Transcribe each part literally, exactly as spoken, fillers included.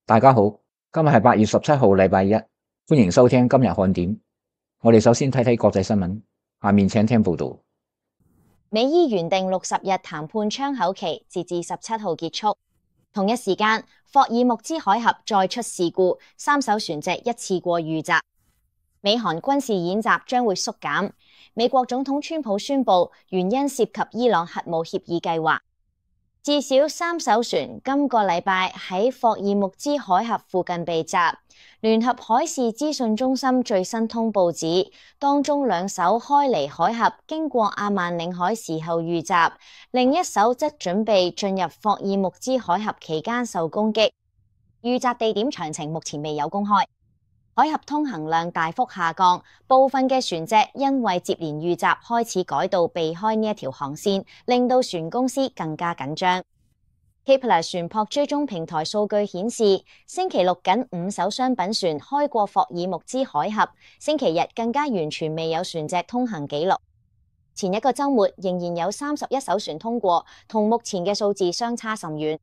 大家好，今日係八月十七號，禮拜一，歡迎收聽今日看點。我哋首先睇睇國際新聞，下面請聽報道。美伊原定六十日談判窗口期，截至十七號結束。同一時間，霍爾木茲海峽再出事故，三艘船隻一次過遇襲。美韓軍事演習將會縮減。美國總統川普宣布，原因涉及伊朗核武協議計劃。至少三艘船今個禮拜喺霍爾木茲海峽附近被襲。聯合海事資訊中心最新通報指，當中兩艘開離海峽經過阿曼領海時候遇襲，另一艘則準備進入霍爾木茲海峽期間受攻擊。遇襲地點詳情目前未有公開。海峽通行量大幅下降，部分嘅船隻因為接連遇襲開始改道避開呢一條航線，令到船公司更加緊張。Kpler 船舶追蹤平台數據顯示，星期六僅五艘商品船開過霍爾木茲海峽，星期日更加完全未有船隻通行記錄。前一個週末仍然有三十一艘船通過，同目前嘅數字相差甚遠。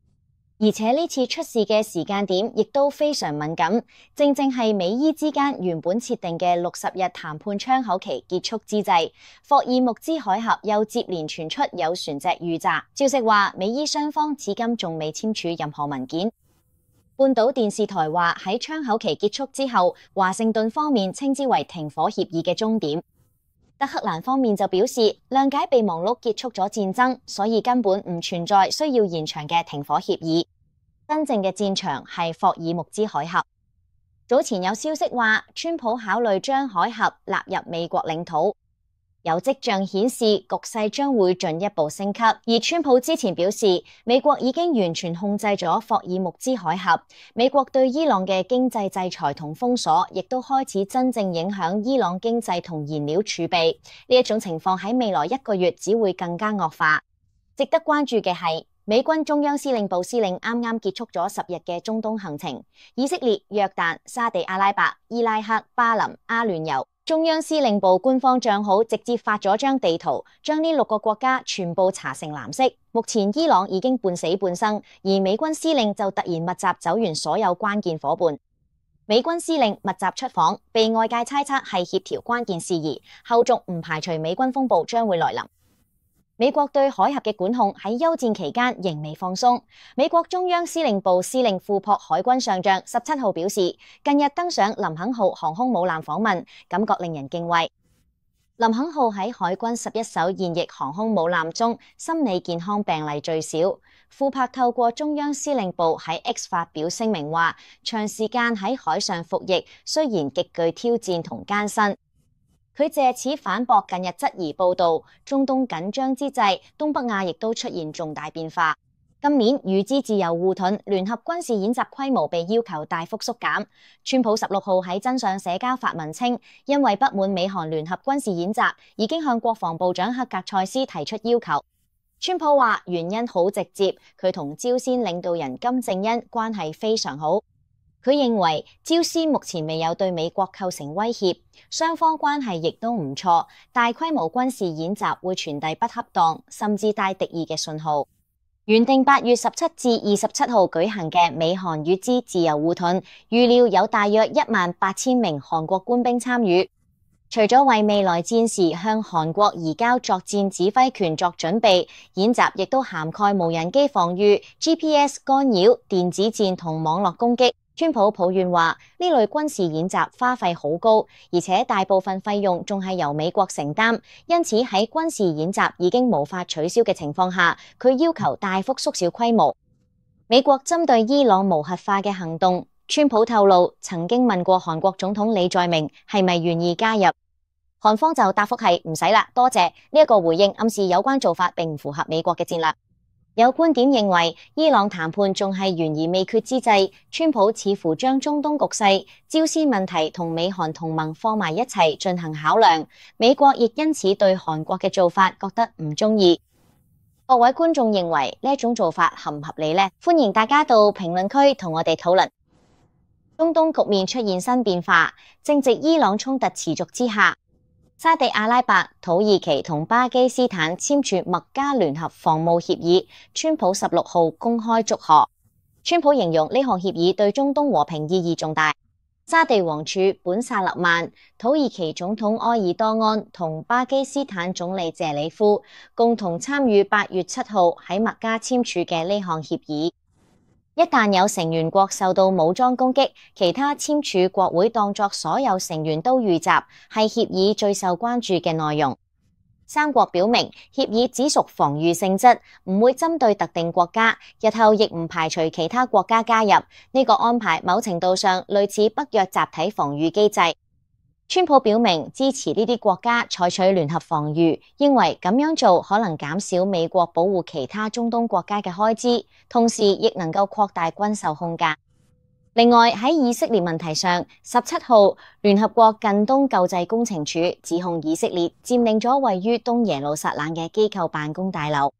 而且呢次出事嘅時間點亦都非常敏感，正正係美伊之間原本設定嘅六十日談判窗口期結束之際，霍爾木茲海峽又接連傳出有船隻遇襲。消息話，美伊雙方至今仲未簽署任何文件。半島電視台話喺窗口期結束之後，華盛頓方面稱之為停火協議嘅終點。德黑蘭方面就表示，諒解備忘錄結束咗戰爭，所以根本唔存在需要延長嘅停火協議。真正嘅戰場係霍爾木茲海峽。早前有消息話，川普考慮將海峽納入美國領土，有跡象顯示局勢將會進一步升級。而川普之前表示，美國已經完全控制咗霍爾木茲海峽，美國對伊朗嘅經濟制裁同封鎖，亦都開始真正影響伊朗經濟同燃料儲備。呢一種情況喺未來一個月只會更加惡化。值得關注嘅係，美軍中央司令部司令啱啱結束咗十日嘅中東行程，以色列、約旦、沙地阿拉伯、伊拉克、巴林、阿聯酋。中央司令部官方賬號直接發咗張地圖，將呢六個國家全部搽成藍色。目前伊朗已經半死半生，而美軍司令就突然密集走完所有關鍵夥伴。美軍司令密集出訪，被外界猜測係協調關鍵事宜，後續唔排除美軍風暴將會來臨。美國對海峽嘅管控喺休戰期間仍未放鬆。美國中央司令部司令庫珀海軍上將十七號表示，近日登上林肯號航空母艦訪問，感覺令人敬畏。林肯號喺海軍十一艘現役航空母艦中，心理健康病例最少。庫珀透過中央司令部喺 X 發表聲明話，長時間喺海上服役雖然極具挑戰同艱辛。佢借此反駁近日質疑報道，中東緊張之際，東北亞亦都出現重大變化。今年與之自由護盾聯合軍事演習規模被要求大幅縮減。川普十六號喺真相社交發文稱，因為不滿美韓聯合軍事演習，已經向國防部長赫格塞斯提出要求。川普話原因好直接，佢同朝鮮領導人金正恩關係非常好。佢認為朝鮮目前未有對美國構成威脅，雙方關係亦都唔錯，大規模軍事演習會傳遞不恰當甚至帶敵意嘅信號。原定八月十七至二十七號舉行嘅美韓與之自由護盾，預料有大約一萬八千名韓國官兵參與。除咗為未來戰時向韓國移交作戰指揮權作準備，演習亦都涵蓋無人機防禦、G P S 干擾、電子戰同網絡攻擊。川普抱怨話，呢類軍事演習花費好高，而且大部分費用仲係由美國承擔，因此喺軍事演習已經無法取消嘅情況下，佢要求大幅縮小規模。美國針對伊朗無核化嘅行動，川普透露曾經問過韓國總統李在明係咪願意加入，韓方就答覆係唔使啦，多謝。呢一個回應暗示有關做法並唔符合美國嘅戰略。有觀點認為，伊朗談判仲係懸而未決之際，川普似乎將中東局勢、朝鮮問題同美韓同盟放埋一齊進行考量。美國亦因此對韓國嘅做法覺得唔中意。各位觀眾認為呢一種做法合唔合理呢？歡迎大家到評論區同我哋討論。中東局面出現新變化，正值伊朗衝突持續之下。沙地阿拉伯、土耳其同巴基斯坦簽署麥加聯合防務協議，川普十六號公開祝賀。川普形容呢項協議對中東和平意義重大。沙地王儲本薩勒曼、土耳其總統埃爾多安同巴基斯坦總理謝里夫共同參與八月七號喺麥加簽署嘅呢項協議。一旦有成員國受到武裝攻擊，其他簽署國會當作所有成員都遇襲，係協議最受關注嘅內容。三國表明協議只屬防禦性質，唔會針對特定國家，日後亦唔排除其他國家加入。呢個安排某程度上類似北約集體防禦機制。川普表明支持呢啲國家採取聯合防禦，認為咁樣做可能減少美國保護其他中東國家嘅開支，同時亦能夠擴大軍售空間。另外喺以色列問題上，十七號聯合國近東救濟工程處指控以色列佔領咗位於東耶路撒冷嘅機構辦公大樓。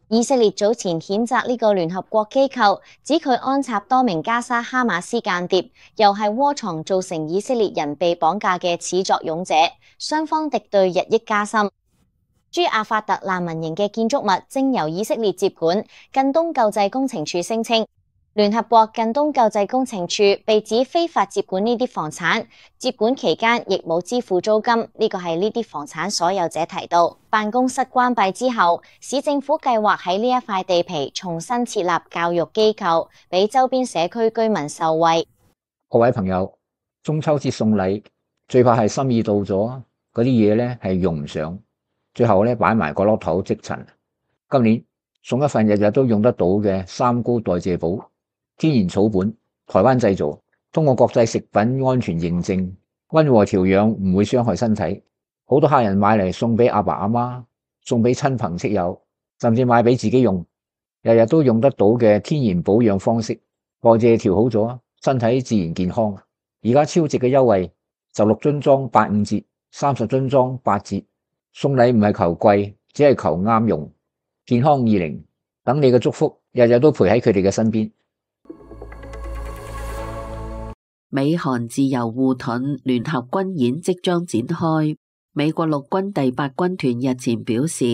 以色列早前譴責呢個聯合國機構，指佢安插多名加沙哈馬斯間諜，又係窩藏造成以色列人被綁架嘅始作俑者，雙方敵對日益加深。駐阿法特難民營嘅建築物正由以色列接管，近東救濟工程處聲稱，聯合國近東救濟工程處被指非法接管呢啲房產，接管期間亦冇支付租金。呢個係呢啲房產所有者提到。辦公室關閉之後，市政府計劃喺呢一塊地皮重新設立教育機構，俾周邊社區居民受惠。各位朋友，中秋節送禮最怕係心意到咗，嗰啲嘢咧係用唔上，最後咧擺埋個落頭積塵。今年送一份日日都用得到嘅三高代謝寶。天然草本，台灣製造，通過國際食品安全認證，溫和調養，唔會傷害身體。好多客人買嚟送俾阿爸阿媽，送俾親朋戚友，甚至買俾自己用，日日都用得到嘅天然保養方式，代謝調好咗，身體自然健康。而家超值嘅優惠，十六樽裝八五折，三十樽裝八折。送禮唔係求貴，只係求啱用。健康二零，等你嘅祝福，日日都陪喺佢哋嘅身邊。美韓自由護盾聯合軍演即將展開。美國陸軍第八軍團日前表示，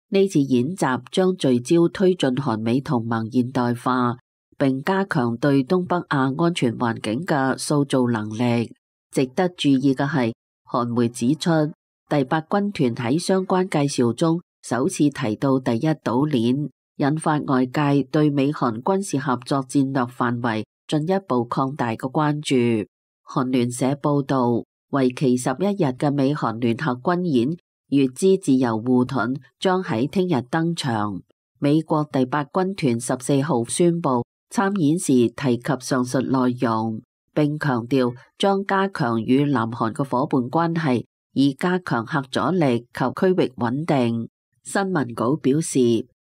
呢次演習將聚焦推進韓美同盟現代化，並加強對東北亞安全環境嘅塑造能力。值得注意嘅係，韓媒指出，第八軍團喺相關介紹中首次提到第一島鏈，引發外界對美韓軍事合作戰略範圍進一步擴大嘅關注。韓聯社報道，為期十一日嘅美韓聯合軍演乙支自由護盾將喺聽日登場。美國第八軍團十四號宣布參演時提及上述內容，並強調將加強與南韓嘅夥伴關係，以加強核阻力及區域穩定。新聞稿表示，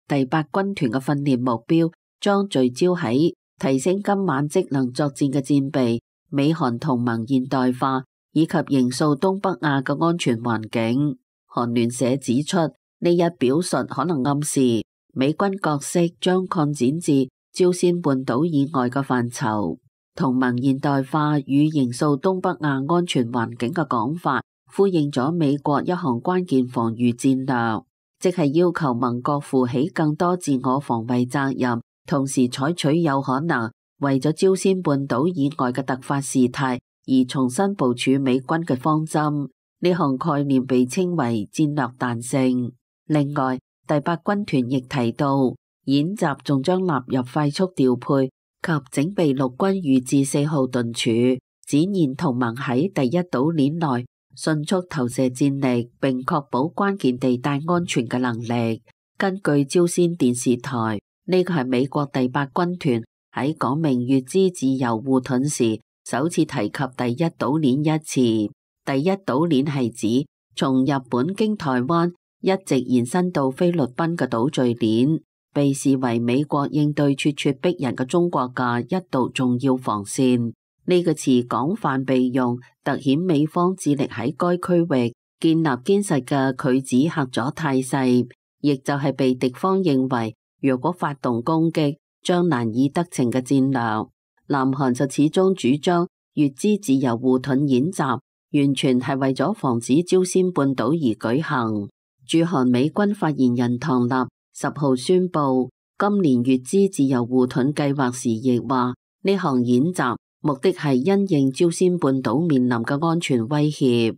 第八軍團嘅訓練目標將聚焦喺提升今晚職能作戰嘅戰備、美韓同盟現代化以及營造東北亞嘅安全環境。韓聯社指出，呢一表述可能暗示美軍角色將擴展至朝鮮半島以外嘅範疇。同盟現代化與營造東北亞安全環境嘅講法，呼應咗美國一項關鍵防禦戰略，即係要求盟國負起更多自我防衛責任，同時採取有可能為咗朝鮮半島以外嘅突發事態而重新部署美軍嘅方針。呢項概念被稱為戰略彈性。另外，第八軍團亦提到，演習仲將納入快速調配及整備陸軍預置四號盾柱，展現同盟喺第一島鏈內迅速投射戰力，並確保關鍵地帶安全嘅能力。根據朝鮮電視台，呢個係美國第八軍團喺講明乙支自由護盾時首次提及第一島鏈一詞。第一島鏈係指從日本經台灣一直延伸到菲律賓嘅島嶼鏈，被視為美國應對咄咄逼人嘅中國嘅一道重要防線。呢個詞廣泛被用，凸顯美方致力喺該區域建立堅實嘅拒止核阻態勢，亦就係被敵方認為若果發動攻擊將難以得逞嘅戰略。南韓就始終主張乙支自由護盾演習完全係為咗防止朝鮮半島而舉行。駐韓美軍發言人唐納十號宣布，今年乙支自由護盾計劃時亦話，呢項演習目的係因應朝鮮半島面臨嘅安全威脅。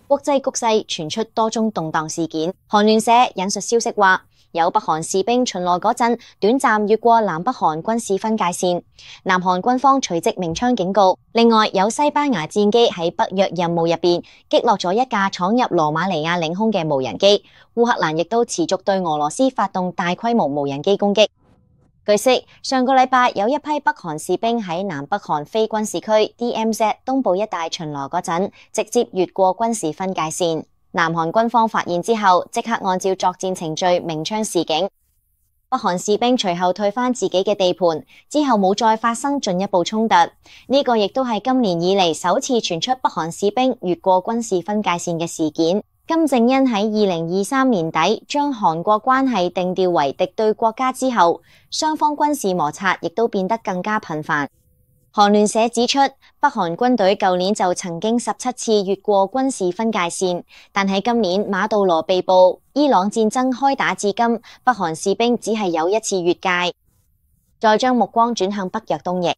國際局勢傳出多宗動盪事件。韓聯社引述消息話，有北韓士兵巡邏嗰陣，短暫越過南北韓軍事分界線，南韓軍方隨即鳴槍警告。另外，有西班牙戰機喺北約任務入邊擊落咗一架闖入羅馬尼亞領空嘅無人機。烏克蘭亦都持續對俄羅斯發動大規模無人機攻擊。據悉，上個禮拜有一批北韓士兵喺南北韓非軍事區 D M Z 東部一帶巡邏嗰陣，直接越過軍事分界線。南韓軍方發現之後，即刻按照作戰程序鳴槍示警。北韓士兵隨後退返自己嘅地盤，之後冇再發生進一步衝突。呢個亦都係今年以嚟首次傳出北韓士兵越過軍事分界線嘅事件。金正恩喺二零二三年底將韓國關係定調為敵對國家之後，雙方軍事摩擦亦都變得更加頻繁。韓聯社指出，北韓軍隊舊年就曾經十七次越過軍事分界線，但喺今年馬杜羅被捕、伊朗戰爭開打至今，北韓士兵只係有一次越界。再將目光轉向北約東翼。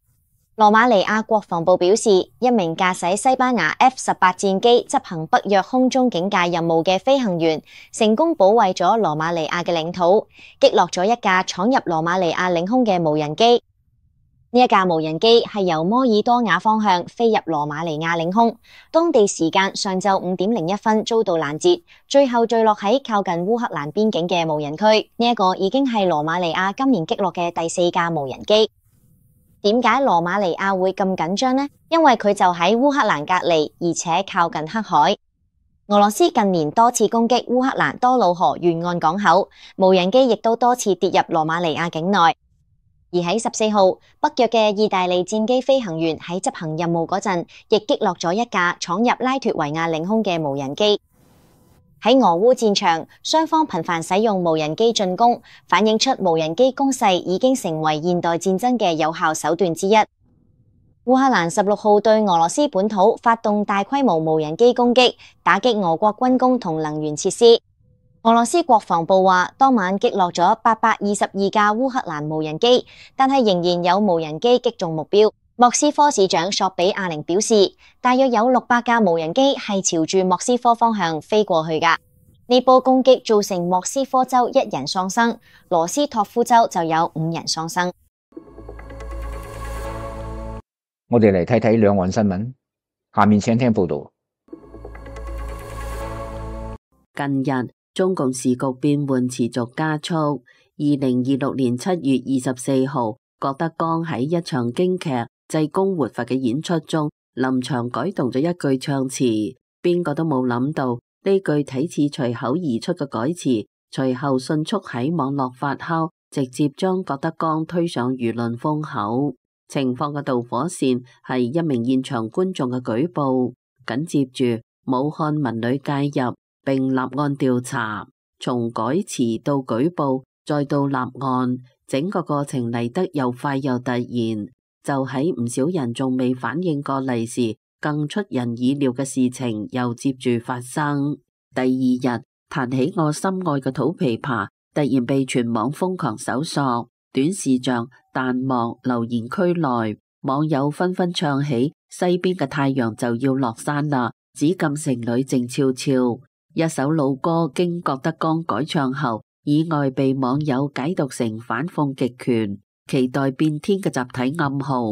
羅馬尼亞國防部表示，一名駕駛西班牙 F 十八戰機執行北約空中警戒任務嘅飛行員，成功保衛咗羅馬尼亞嘅領土，擊落咗一架闖入羅馬尼亞領空嘅無人機。呢一架無人機係由摩爾多瓦方向飛入羅馬尼亞領空，當地時間上晝五點零一分遭到攔截，最後墜落喺靠近烏克蘭邊境嘅無人區。呢一個已經係羅馬尼亞今年擊落嘅第四架無人機。點解羅馬尼亞會咁緊張呢？因為佢就喺烏克蘭隔籬，而且靠近黑海。俄羅斯近年多次攻擊烏克蘭多瑙河沿岸港口，無人機亦都多次跌入羅馬尼亞境內。而喺十四號，北約嘅意大利戰機飛行員喺執行任務嗰陣，亦擊落咗一架闖入拉脫維亞領空嘅無人機。喺俄烏戰場，雙方頻繁使用無人機進攻，反映出無人機攻勢已經成為現代戰爭嘅有效手段之一。烏克蘭十六號對俄羅斯本土發動大規模無人機攻擊，打擊俄國軍工同能源設施。俄羅斯國防部話，當晚擊落咗八百二十二架烏克蘭無人機，但係仍然有無人機擊中目標。莫斯科市長索比亞寧表示，大約有六百架無人機係朝住莫斯科方向飛過去㗎。呢波攻擊造成莫斯科州一人喪生，羅斯托夫州就有五人喪生。我哋嚟睇睇兩岸新聞，下面請聽報道。近日，中共時局變換持續加速。二零二六年七月二十四號，郭德綱喺一場京劇濟公活佛嘅演出中，臨場改動咗一句唱詞，邊個都冇諗到呢句睇似隨口而出嘅改詞，隨後迅速喺網絡發酵，直接將郭德綱推上輿論風口。情況嘅導火線係一名現場觀眾嘅舉報，緊接住武漢文旅介入並立案調查，從改詞到舉報再到立案，整個過程嚟得又快又突然。就喺唔少人仲未反應過嚟時，更出人意料嘅事情又接住發生。第二日，彈起我心愛嘅土琵琶突然被全網瘋狂搜索，短視像、彈幕、留言區內網友紛紛唱起西邊嘅太陽就要落山啦，紫禁城裏靜悄悄。一首老歌經郭德綱改唱後，意外被網友解讀成反諷極權、期待變天嘅集體暗號。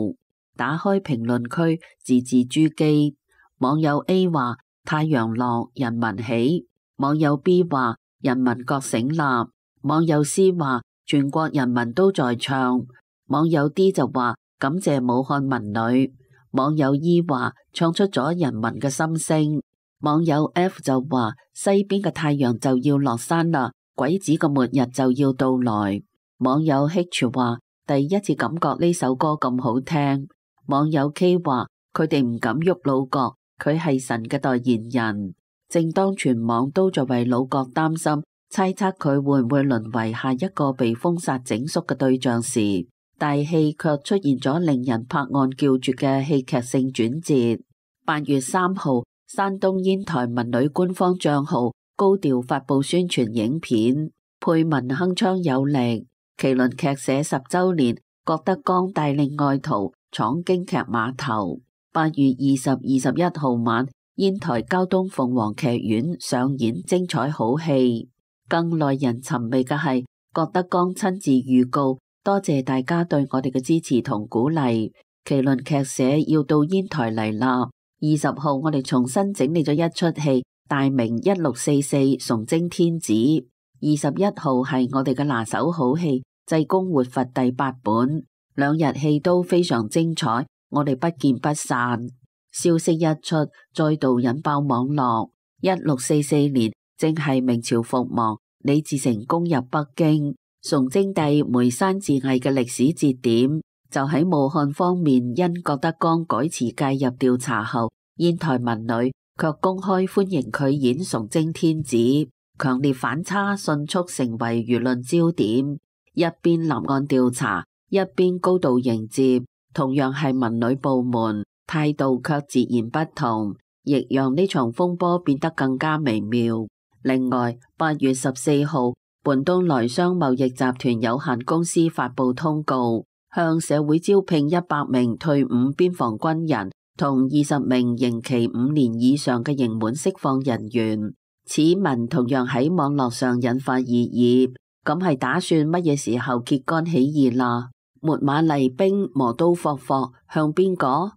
打開評論區，字字珠璣。網友 A 話太陽落，人民起；網友 B 話人民覺醒啦；網友 C 話全國人民都在唱；網友 D 就話感謝武漢文旅；網友 E 話唱出咗人民嘅心聲；網友 F 就話西邊嘅太陽就要落山啦，鬼子嘅末日就要到來；網友 H 話第一次感覺呢首歌咁好聽；網友 K 話佢哋唔敢喐老郭，佢係神嘅代言人。正當全網都在為老郭擔心，猜測佢會唔會淪為下一個被封殺整肅嘅對象時，大戲卻出現咗令人拍案叫絕嘅戲劇性轉折。八月三號，山東煙台文旅官方賬號高調發佈宣傳影片，配文鏗鏘有力。麒麟劇社十週年，郭德綱帶領愛徒闖京劇碼頭。八月二十、二十一號晚，煙台交東鳳凰劇院上演精彩好戲。更耐人尋味嘅係郭德綱親自預告，多謝大家對我哋嘅支持同鼓勵。麒麟劇社要到煙台嚟啦。二十號我哋重新整理咗一出戲，大名一六四四崇禎天子。二十一號係我哋嘅拿手好戲濟公活佛第八本，兩日戲都非常精彩，我哋不見不散。消息一出，再度引爆網絡。一六四四年正係明朝覆亡，李自成攻入北京，崇禎帝梅山自縊嘅歷史節點就喺武漢方面因郭德綱改詞介入調查後，煙台文旅卻公開歡迎佢演崇禎天子，強烈反差迅速成為輿論焦點。一邊立案調查，一邊高度迎接，同樣係文旅部門，態度卻截然不同，亦讓呢場風波變得更加微妙。另外，八月十四號，泮東來商貿易集團有限公司發佈通告，向社會招聘一百名退伍邊防軍人同二十名刑期五年以上嘅刑滿釋放人員。此文同樣喺網絡上引發熱議。咁係打算乜嘢時候揭竿起義啦？秣馬厲兵，磨刀霍霍，向邊個？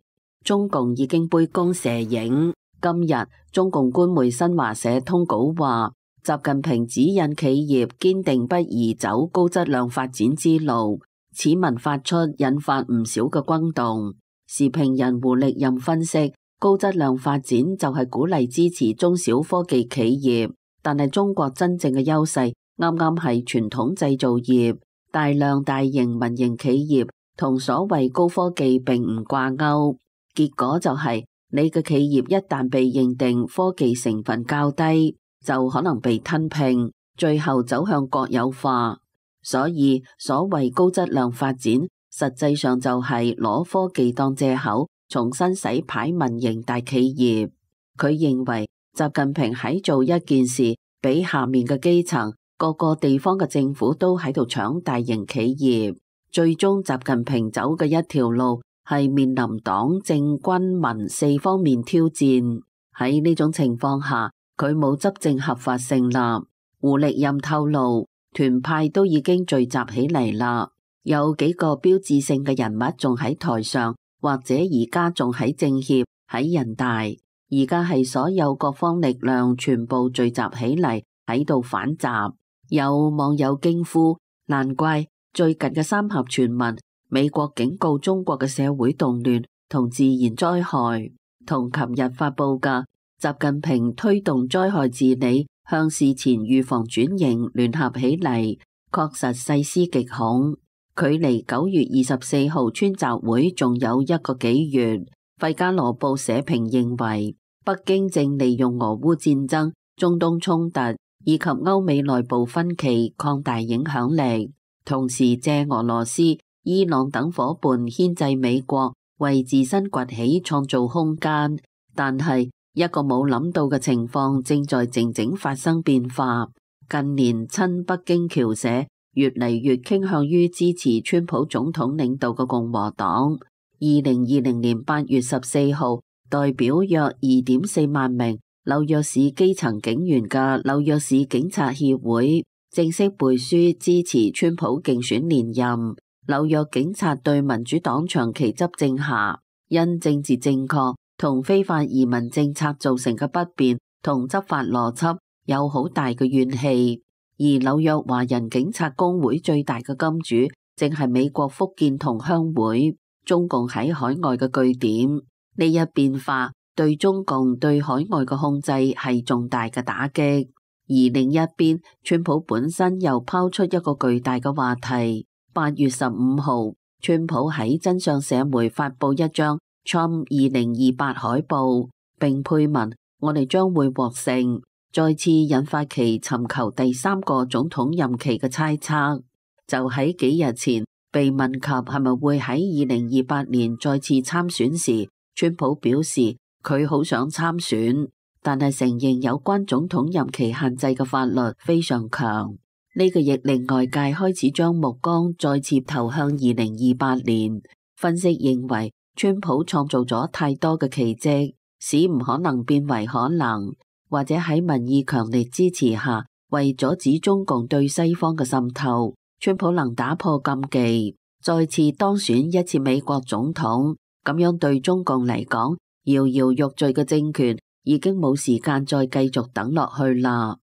中共已經杯弓蛇影。今日中共官媒新華社通稿話，習近平指引企業堅定不移走高質量發展之路。此文發出引發唔少嘅轟動。時評人胡力任分析，高質量發展就係鼓勵支持中小科技企業，但係中國真正嘅優勢啱啱係傳統製造業，大量大型民營企業同所謂高科技並唔掛鈎，結果就係你嘅企業一旦被認定科技成分較低，就可能被吞併，最後走向國有化。所以所謂高質量發展，實際上就係攞科技當借口，重新洗牌民營大企業。佢認為習近平喺做一件事，俾下面嘅基層各個地方嘅政府都喺度搶大型企業，最終習近平走嘅一條路係面臨黨政軍民四方面挑戰。喺呢種情況下，佢冇執政合法性啦。胡力任透露，團派都已經聚集起嚟啦，有幾個標誌性嘅人物仲喺台上，或者而家仲喺政協、喺人大，而家係所有各方力量全部聚集起嚟喺度反習。有網友驚呼，難怪最近嘅三峽傳聞，美國警告中國嘅社會動亂同自然災害，同琴日發佈嘅習近平推動災害治理向事前預防轉型聯合起嚟，確實細思極恐。距離九月二十四號川習會仲有一個幾月。費加羅報社評認為，北京正利用俄烏戰爭、中東衝突以及歐美內部分歧擴大影響力，同時借俄羅斯、伊朗等夥伴牽制美國，為自身崛起創造空間。但係一個冇諗到嘅情況正在靜靜發生變化。近年親北京僑社越嚟越傾向於支持川普總統領導嘅共和黨。二零二零年八月十四號，代表約二點四萬名紐約市基層警員嘅紐約市警察協會正式背書支持川普競選連任。紐約警察對民主黨長期執政下因政治正確同非法移民政策造成嘅不便同執法邏輯有好大嘅怨氣。而紐約華人警察工會最大嘅金主正係美國福建同鄉會，中共喺海外嘅據點。呢一變化對中共對海外嘅控制係重大嘅打擊。而另一邊，川普本身又拋出一個巨大嘅話題。八月十五號，川普喺真相社媒發佈一張 Trump 二零二八海報，並配文：我哋將會獲勝，再次引發其尋求第三個總統任期嘅猜測。就喺幾日前被問及係咪會喺二零二八年再次參選時，川普表示佢好想參選，但係承認有關總統任期限制嘅法律非常強。呢個亦令外界開始將目光再次投向二零二八年。分析認為，川普創造咗太多嘅奇蹟，使唔可能變為可能，或者喺民意強烈支持下，為阻止中共對西方嘅滲透，川普能打破禁忌，再次當選一次美國總統。咁樣對中共嚟講，搖搖欲墜嘅政權已經冇時間再繼續等落去啦。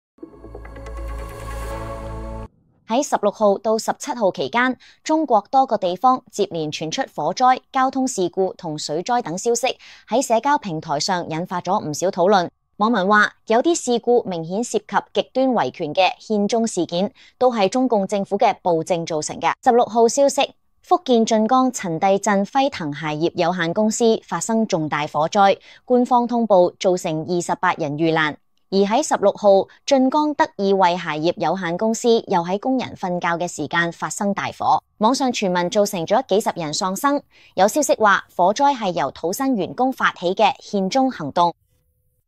喺十六號到十七號期間，中國多個地方接連傳出火災、交通事故同水災等消息，喺社交平台上引發咗唔少討論。網民話，有啲事故明顯涉及極端維權嘅獻中事件，都係中共政府嘅暴政造成嘅。十六號消息，福建晉江陳地鎮輝騰鞋業有限公司發生重大火災，官方通報造成二十八人遇難。而喺十六號，晉江德意惠鞋業有限公司又喺工人瞓覺嘅時間發生大火，網上傳聞造成咗幾十人喪生。有消息話，火災係由土生員工發起嘅獻中行動。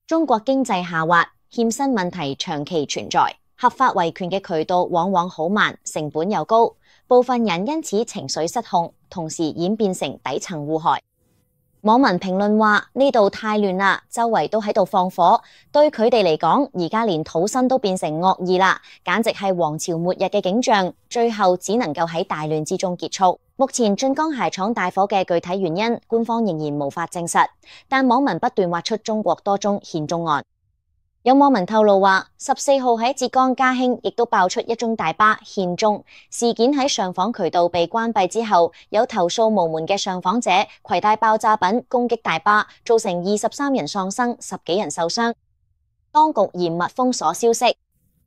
中國經濟下滑，欠薪問題長期存在，合法維權嘅渠道往往好慢，成本又高，部分人因此情緒失控，同時演變成底層互害。網民評論話，呢度太亂啦，周圍都喺度放火，對佢哋嚟講，而家連土生都變成惡意啦，簡直係王朝末日嘅景象，最後只能夠喺大亂之中結束。目前晉江鞋廠大火嘅具體原因，官方仍然無法證實，但網民不斷挖出中國多宗獻中案。有網民透露話，十四號喺浙江嘉興亦都爆出一宗大巴獻中事件，喺上訪渠道被關閉之後，有投訴無門嘅上訪者攜帶爆炸品攻擊大巴，造成二十三人喪生，十幾人受傷。當局嚴密封鎖消息。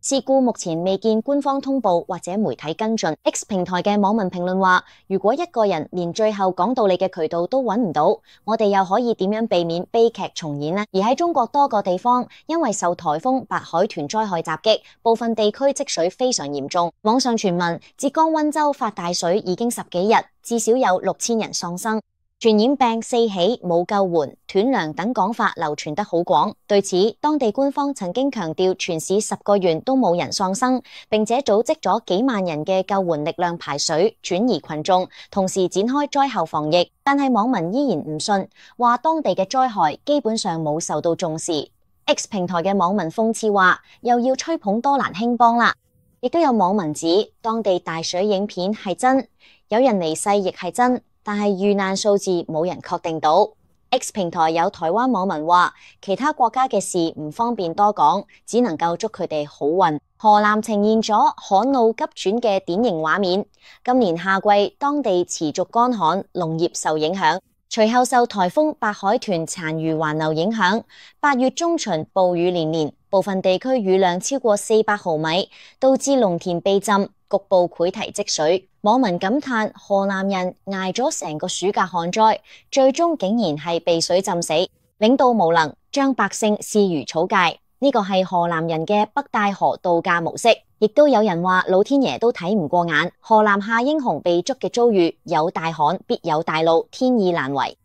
事故目前未見官方通報或者媒體跟進。X 平台嘅網民評論話，如果一個人連最後講道理嘅渠道都揾唔到，我哋又可以點樣避免悲劇重演呢？而喺中國多個地方，因為受颱風白海豚災害襲擊，部分地區積水非常嚴重。網上傳聞浙江溫州發大水已經十幾日，至少有六千人喪生。傳染病四起冇救援、斷糧等講法流傳得好廣。對此，當地官方曾經強調全市十個縣都冇人喪生，並且組織咗幾萬人嘅救援力量排水、轉移群眾，同時展開災後防疫。但係網民依然唔信，話當地嘅災害基本上冇受到重視。X 平台嘅網民諷刺話，又要吹捧多蘭興邦啦。亦都有網民指當地大水影片係真，有人離世亦係真。但係遇難數字冇人確定到。X 平台有台灣網民話，其他國家嘅事唔方便多講，只能夠祝佢哋好運。河南呈現咗旱澇急轉嘅典型畫面。今年夏季當地持續乾旱，農業受影響。隨後受颱風白海豚殘餘環流影響，八月中旬暴雨連連，部分地區雨量超過四百毫米，導致農田被浸，局部潰堤積水。網民感嘆河南人捱咗成個暑假旱災，最終竟然係被水浸死，領導無能，將百姓視如草芥。呢個係河南人嘅北戴河度假模式。亦都有人話老天爺都睇唔過眼，河南夏英雄被捉嘅遭遇，有大旱必有大澇，天意難違。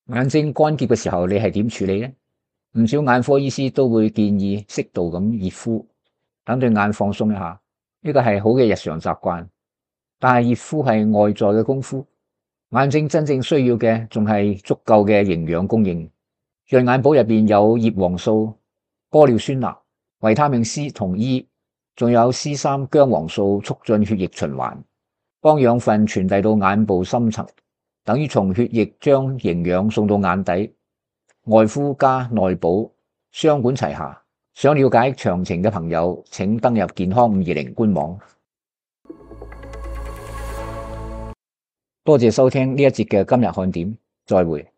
眼睛乾澀嘅時候，你係點處理呢？唔少眼科醫師都會建議適度咁熱敷，等對眼放鬆一下，呢個係好嘅日常習慣。但係熱敷係外在嘅功夫，眼睛真正需要嘅仲係足夠嘅營養供應。潤眼寶入邊有葉黃素、玻尿酸鈉、維他命 C 同 E， 仲有 C 三薑黃素，促進血液循環，幫養分傳遞到眼部深層，等於從血液將營養送到眼底。外敷加內補，雙管齊下。想了解詳情嘅朋友，請登入健康五二零官網。多謝收聽呢一節嘅今日看點，再會。